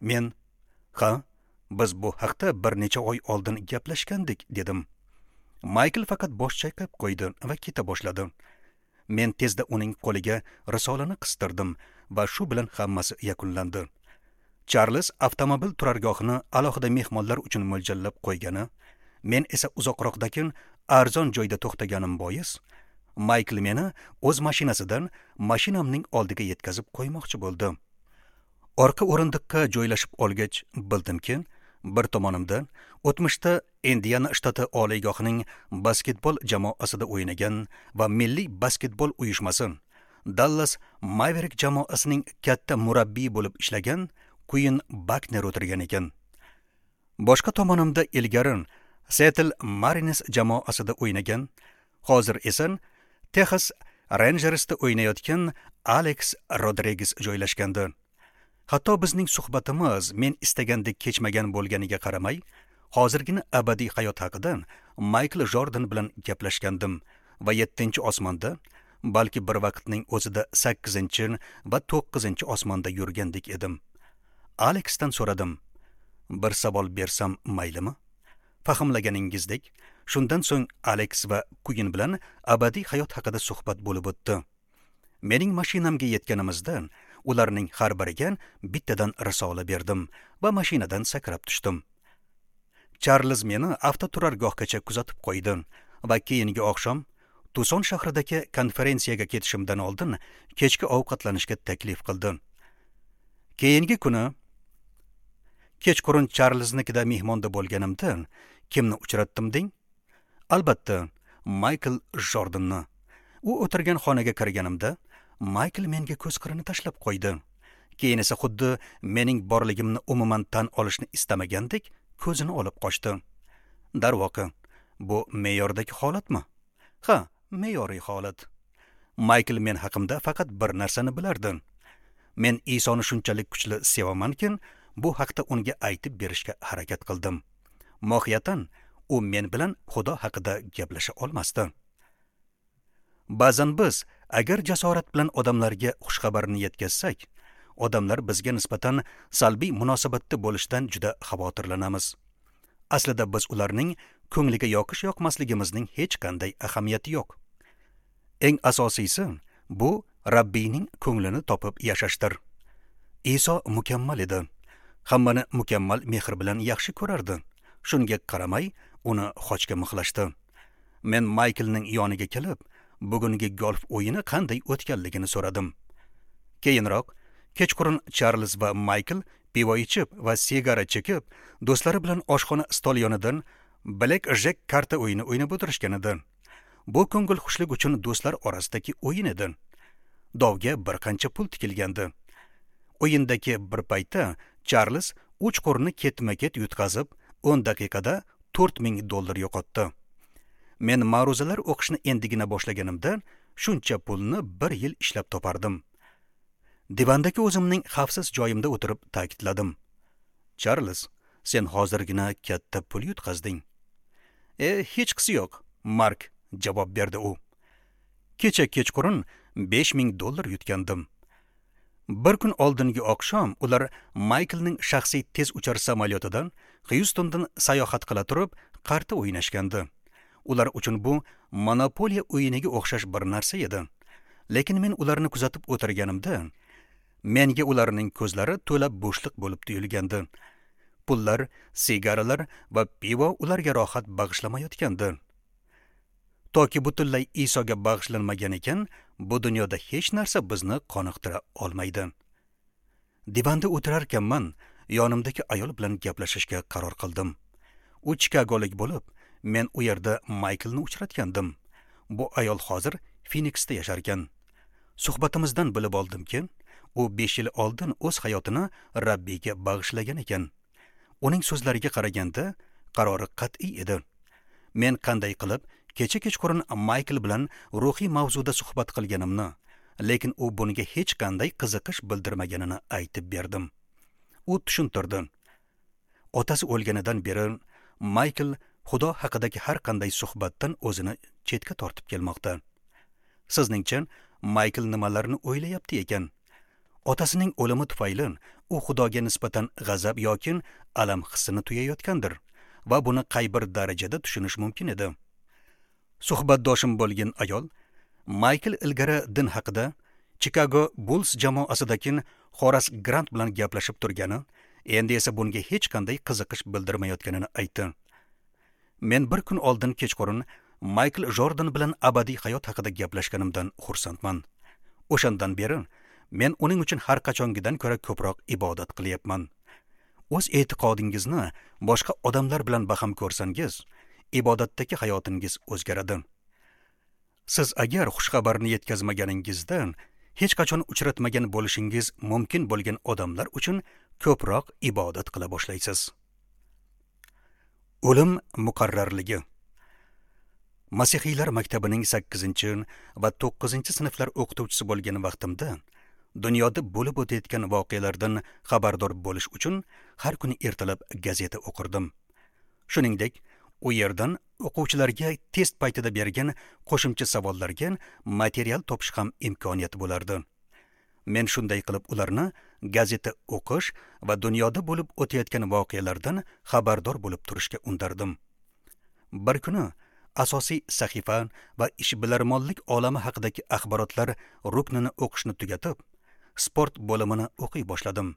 Men, ha, biz bu haqda bir necha oy oldin gaplashgandik, dedim. Maykl faqat bosh chayqab qo'ydi va keta boshladi. Men tezda uning qo'liga risolani qistirdim va shu bilan hammasi yakunlandi. Charlz avtomobil turargohini alohida mehmonlar uchun mo'ljallab qo'ygani, men esa uzoqroqdagi arzon joyda to'xtaganim bois, Maykl meni o'z mashinasidan mashinamning oldiga yetkazib qo'ymoqchi bo'ldi. Orqa o'rindiqqa joylashib olgach, bildimki, bir tomonimda o'tmishda Indiana shtati oliygohining basketbol jamoasida o'ynagan va milliy basketbol uyushmasi Dallas Maverick jamoasining katta murabbiyi bo'lib ishlagan Quinn Buckner o'tirgan ekan. Boshqa tomonimda ilgari Seattle Mariners jamoasida o'ynagan, hozir esa Texas Rangersda o'ynayotgan Alex Rodriguez joylashgandi. Hatto bizning suhbatimiz men istagandek kechmagan bo'lganiga qaramay, hozirgina abadiy hayot haqida Maykl Jordan bilan gaplashgandim va yettinchi osmonda, balki bir vaqtning o'zida sakkizinchi va to'qqizinchi osmonda yurgandek edim. Alexdan so'radim. Bir savol bersam maylimi? Fahmlaganingizdek, shundan so'ng Alex va Quinn bilan abadiy hayot haqida suhbat bo'lib o'tdi. Mening mashinamga yetganimizda ularning har biriga bittadan risola berdim va mashinadan sakrab tushdim. Charlz meni avtoturargohgacha kuzatib qo'ydi va keyingi oqshom Tuson shahridagi konferensiyaga ketishimdan oldin kechki ovqatlanishga taklif qildi. Keyingi kuni kechqurun Charlznikida mehmonda bo'lganimda kimni uchratdim deng? Albatta, Maykl Jordanni. U o'tirgan xonaga kirganimda Maykl menga ko'z qirini tashlab qo'ydi. Keyin esa xuddi mening borligimni umuman tan olishni istamagandek ko'zini olib qochdi. Darvoqe, bu me'yordagi holatmi? Ha, me'yoriy holat. Maykl men haqimda faqat bir narsani bilardi. Men Isoni shunchalik kuchli sevamanki, bu haqda unga aytib berishga harakat qildim. Mohiyatan, u men bilan Xudo haqida gaplasha olmasdi. Ba'zan biz agar jasorat bilan odamlarga xushxabarni yetkazsak, odamlar bizga nisbatan salbiy munosabatda bo'lishdan juda xavotirlanamiz. Aslida biz ularning ko'ngliga yoqish yoqmasligimizning hech qanday ahamiyati yo'q. Eng asosiysi bu Rabbiyning ko'nglini topib yashashdir. Iso mukammal edi. Hammani mukammal mehr bilan yaxshi ko'rardi. Shunga qaramay uni xochga mixlashdi. Men Mayklning yoniga kelib, bugungi golf o'yini qanday o'tganligini so'radim. Keyinroq kechqurun Charlz va Maykl pivo ichib va sigara chekib, do'stlari bilan oshxona stol yonidan Black Jack karta o'yini o'ynab o'tirishgan edi. Bu ko'ngil xushlik uchun do'stlar orasidagi o'yin edi. Dovga bir qancha pul tikilgandi. O'yindagi bir paytda Charlz uch qo'rni ketma-ket yutqazib, o'n daqiqada to'rt ming dollar yo'qotdi. Men ma'ruzalar o'qishni endigina boshlaganimda shuncha pulni bir yil ishlab topardim. Divandagi o'zimning xavfsiz joyimda o'tirib ta'kidladim. Charlz, sen hozirgina katta pul yutqazding. E, hechqisi yo'q, Mark, javob berdi u. Kecha kechqurun besh ming dollar yutgandim. Bir kun oldingi oqshom ular Mayklning shaxsiy tez uchar samolyotidan Xyustondan sayohat qila turib, qarta o'ynashgandi. Ular uchun bu monopoliya o'yiniga o'xshash bir narsa edi. Lekin men ularni kuzatib o'tirganimda, menga ularning ko'zlari to'la bo'shliq bo'lib tuyulgandi. Pullar, sigaralar va pivo ularga rohat bag'ishlamayotgandi. Toki butunlay Isoga bag'ishlanmagan ekan, bu dunyoda hech narsa bizni qoniqtira olmaydi. Divanda o'tirarkanman, yonimdagi ayol bilan gaplashishga qaror qildim. U Chikagolik bo'lib, men u yerda Mayklni uchratgandim. Bu ayol hozir Phoenixda yasharkan. Suhbatimizdan bilib oldimki, u besh yil oldin o'z hayotini Rabbiyga bag'ishlagan ekan. Uning so'zlariga qaraganda qarori qat'iy edi. Men qanday qilib kecha kechqurun Maykl bilan ruhiy mavzuda suhbat qilganimni, lekin u bunga hech qanday qiziqish bildirmaganini aytib berdim. U tushuntirdi. Otasi o'lganidan beri Maykl Xudo haqidagi har qanday suhbatdan o'zini chetga tortib kelmoqda. Sizningcha Maykl nimalarni o'ylayapti ekan? Otasining o'limi tufayli u Xudoga nisbatan g'azab yoki alam hissini tuyayotgandir va buni qay bir darajada tushunish mumkin edi. Suhbatdoshim bo'lgan ayol Maykl ilgari din haqida Chicago Bulls jamoasidagi Horas Grant bilan gaplashib turgani, endi esa bunga hech qanday qiziqish bildirmayotganini aytdi. Men bir kun oldin kechqurun Maykl Jordan bilan abadiy hayot haqida gaplashganimdan xursandman. O'shandan beri men uning uchun har qachongidan ko'ra ko'proq ibodat qilyapman. O'z e'tiqodingizni boshqa odamlar bilan baham ko'rsangiz, ibodatdagi hayotingiz o'zgaradi. Siz agar xushxabarni yetkazmaganingizda hech qachon uchratmagan bo'lishingiz mumkin bo'lgan odamlar uchun ko'proq ibodat qila boshlaysiz. O'lim muqarrarligi. Masihiylar maktabining sakkizinchi va to'qqizinchi sinflar o'qituvchisi bo'lgan vaqtimda dunyoda bo'lib o'tayotgan voqealardan xabardor bo'lish uchun har kuni ertalab gazeta o'qirdim. Shuningdek, u yerdan o'quvchilarga test paytida bergan qo'shimcha savollarga material topish ham imkoniyati bo'lardi. Men shunday qilib ularni gazeta o'qish va dunyoda bo'lib o'tayotgan voqealardan xabardor bo'lib turishga undardim. Bir kuni asosiy sahifa va ishbilarmonlik olami haqidagi axborotlar ruknini o'qishni tugatib, sport bo'limini o'qiy boshladim.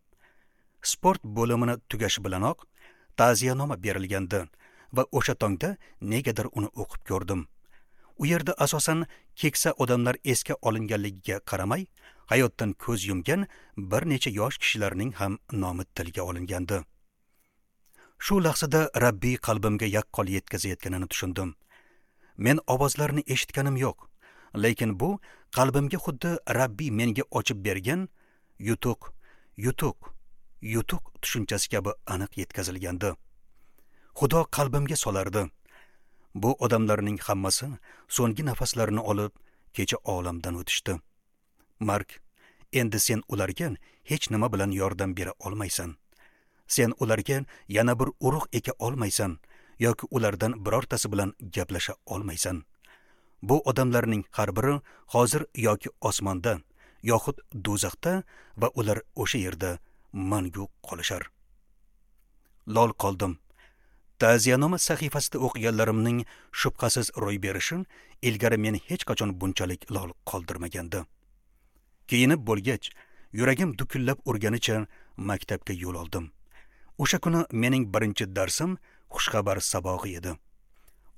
Sport bo'limini tugashi bilanoq ta'ziyanoma berilgandi va o'sha tongda negadir uni o'qib ko'rdim. U yerda asosan keksa odamlar esga olinganligiga qaramay, hayotdan ko'z yumgan bir necha yosh kishilarning ham nomi tilga olingandi. Shu lahzada Rabbiy qalbimga yaqqol yetkazayotganini tushundim. Men ovozlarni eshitganim yo'q, lekin bu qalbimga xuddi Rabbiy menga ochib bergan yutuq, yutuq, yutuq tushunchasi kabi aniq yetkazilgandi. Xudo qalbimga solardi. Bu odamlarning hammasi so'nggi nafaslarini olib, kecha olamdan o'tishdi. Mark, endi sen ularga hech nima bilan yordam bera olmaysan. Sen ularga yana bir urug' eka olmaysan yoki ulardan birortasi bilan gaplasha olmaysan. Bu odamlarning har biri hozir yoki osmonda, yoxud do'zaxda va ular o'sha yerda mangu qolishar. Lol qoldim. Ta'ziyanoma sahifasida o'qiganlarimning shubhasiz ro'y berishi ilgari meni hech qachon bunchalik lol qoldirmagandi. Kiyinib bo'lgach, yuragim dukullab urganicha maktabga yo'l oldim. O'sha kuni mening birinchi darsim xushxabar sabog'i edi.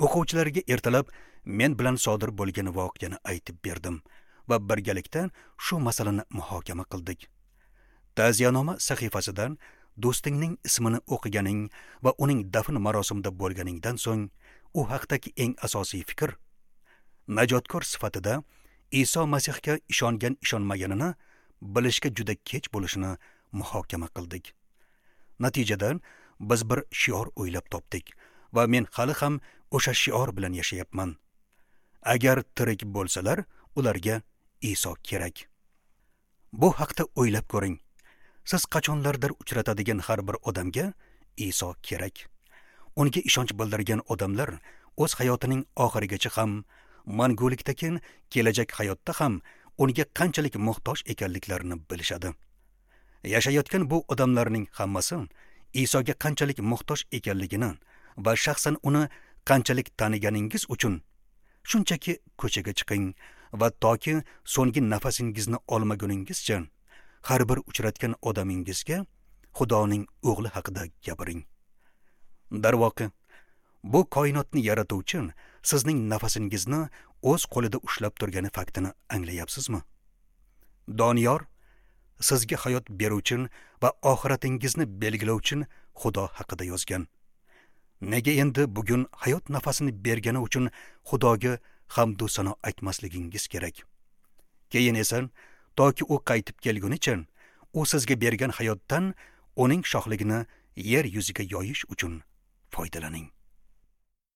O'quvchilarga ertalab men bilan sodir bo'lgan voqeani aytib berdim va birgalikda shu masalani muhokama qildik. Ta'ziyanoma sahifasidan do'stingning ismini o'qiganing va uning dafn marosimida bo'lganingdan so'ng u haqdagi eng asosiy fikr najotkor sifatida Iso Masihga ishongan ishonmaganini bilishga juda kech bo'lishini muhokama qildik. Natijada biz bir shior o'ylab topdik va men hali ham o'sha shior bilan yashayapman. Agar tirik bo'lsalar, ularga Iso kerak. Bu haqda o'ylab ko'ring. Siz qachonlardir uchratadigan har bir odamga Iso kerak. Unga ishonch bildirgan odamlar o'z hayotining oxirigacha ham, mangulikdagi kelajak hayotda ham unga qanchalik muhtoj ekanliklarini bilishadi. Yashayotgan bu odamlarning hammasi Isoga qanchalik muhtoj ekanligini va shaxsan uni qanchalik taniganingiz uchun shunchaki ko'chaga chiqing va toki so'nggi nafasingizni olmaguningizcha har bir uchratgan odamingizga Xudoning o'g'li haqida gapiring. Darvoqe, bu koinotni yaratuvchi sizning nafasingizni o'z qo'lida ushlab turgani faktini anglayapsizmi? Doniyor sizga hayot beruvchi va oxiratingizni belgilovchi Xudo haqida yozgan. Nega endi bugun hayot nafasini bergani uchun Xudoga hamd va sano aytmasligingiz kerak? Keyin esa toki u qaytib kelgunicha u sizga bergan hayotdan uning shohligini yer yuziga yoyish uchun foydalaning.